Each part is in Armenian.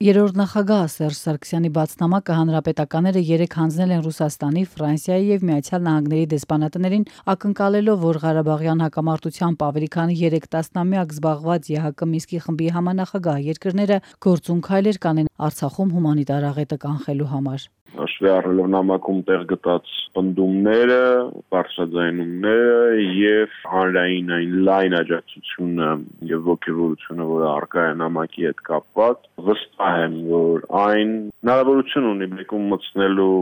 Երրորդ նախագահ Սերժ Սարգսյանի բացնամակը հանրապետականները երեկ հանձնել են Ռուսաստանի, Ֆրանսիայի եւ Միացյալ Նահանգների դեսպանատներին, ակնկալելով, որ Ղարաբաղյան հակամարտությամբ ավելի քան 3 տասնամյակ զբաղված ԵՀԿ Մինսկի խմբի համանախագահ երկրները գործուն քայլեր կանեն Արցախում հումանիտար աղետը կանխելու համար։ Հաշվի առնելով նամակում տեղ գտած պնդումները, բարձրաձայնումները եւ հանրային այն լայն աջակցությունը եւ ողջունությունը, որը առկա է նամակի հետ կապված, վստահ եմ, որ այն հնարավորություն ունի բեկում մտցնելու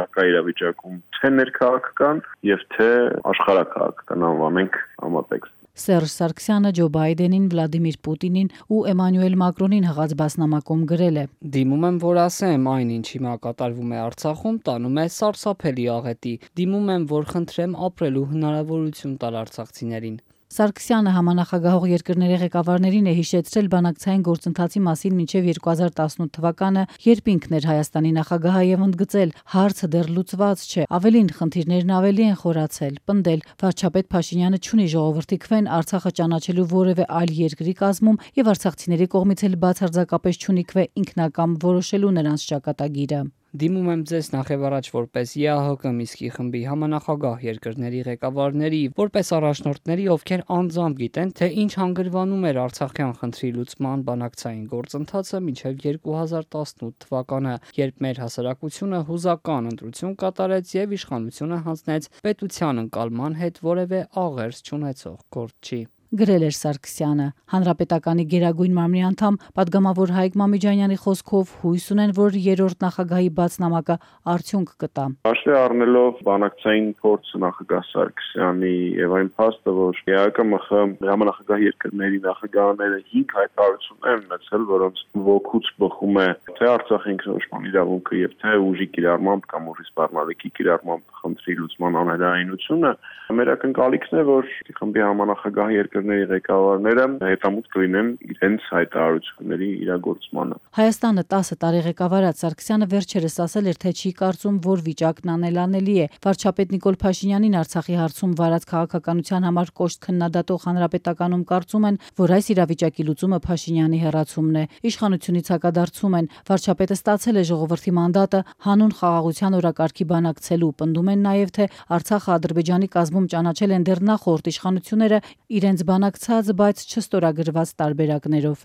առկա իրավիճակում թե ներքաղաքական եւ թե աշխարհակաղաքական անվանենք համատեքստ։ Սերժ Սարգսյանը Ջո Բայդենին, Վլադիմիր Պուտինին ու Էմանուել Մակրոնին հղած բասնամակում գրել է. Դիմում եմ, որ ասեմ, այն ինչ հիմա կատարվում է Արցախում, տանում է սարսափելի աղետի։ Դիմում եմ, որ խնդրեմ ապրելու հնարավորություն տալ արցախցիներին։ Սարգսյանը համանախագահող երկրների ղեկավարներին է հիշեցրել բանակցային գործընթացի մասին մինչև 2018 թվականը, երբ ինքն էր Հայաստանի նախագահը եւ ընդգծել, հարցը դեռ լուծված չէ, ավելին խնդիրներն ավելի են խորացել, պնդել, վարչապետ Փաշինյանը չունի ժողովրդի քվեն Արցախը ճանաչելու որևէ այլ երկրի կազմում եւ արցախցիների կողմից էլ բացարձակապես չունի քվե ինքնակամ որոշելու նրանց ճակատագիրը։ Դիմում եմ ձեզ նախևառաջ որպես ԵԱՀԿ Մինսկի խմբի համանախագահ երկրների ղեկավարների, որպես առաջնորդների, ովքեր անձամբ գիտեն, թե ինչ հանգրվանում էր Արցախյան խնդրի լուծման բանակցային գործընթացը մինչև 2018 թվականը, երբ մեր հասարակությունը հուզական ընտրություն կատարեց եւ իշխանությունը հանձնեց պետության ընկալման հետ որևէ աղերս չունեցող գործչի։ Գրել էր Սարգսյանը։ Հանրապետականի Գերագույն մարմնի անդամ պատգամավոր Հայկ Մամիջանյանի խոսքով հույս ունեն, որ երրորդ նախագահի բացնամակը արդյունք կտա։ Հաշվի առնելով բանակցային փորձը նախագահ Սարգսյանի եւ այն փաստը, որ ԵԱՀԿ համանախագահ երկրների նախագահները 5 հայտարարություններ են ունեցել, որոնց ոգուց բխում է թե Արցախի ինքնորոշման իրավունքը եւ թե ուժի կիրառմամբ կամ ուժի սպառնալիքի կիրառմամբ խնդրի լուծման անհրաժեշտությունը, մեր ակնկալիքն է, որ խմբի համանախագահ երկրների ղեկավարները հետամուտ կլինեն իրենց հայտարարությունների իրագործմանը։ Հայաստանը 10 տարի ղեկավարած Սարգսյանը վերջերս ասել էր, թե չի կարծում, որ վիճակն անելանելի է։ Վարչապետ Նիկոլ Փաշինյանին Արցախի հարցում վարած քաղաքականության համար կոշտ քննադատող հանրապետականում կարծում են, որ այս իրավիճակի լուծումը Փաշինյանի հեռացումն է։ Իշխանությունից հակադարձում են, վարչապետը ստացել է ժողովրդի մանդատը հանուն խաղաղության օրակարգի բանակցելու, պնդում են նաև, թե Արցախը Ադրբեջանի կազմում ճանաչել են դեռ նախորդ իշխանությունները իրենց բանակցած, բայց չստորագրված տարբերակներով։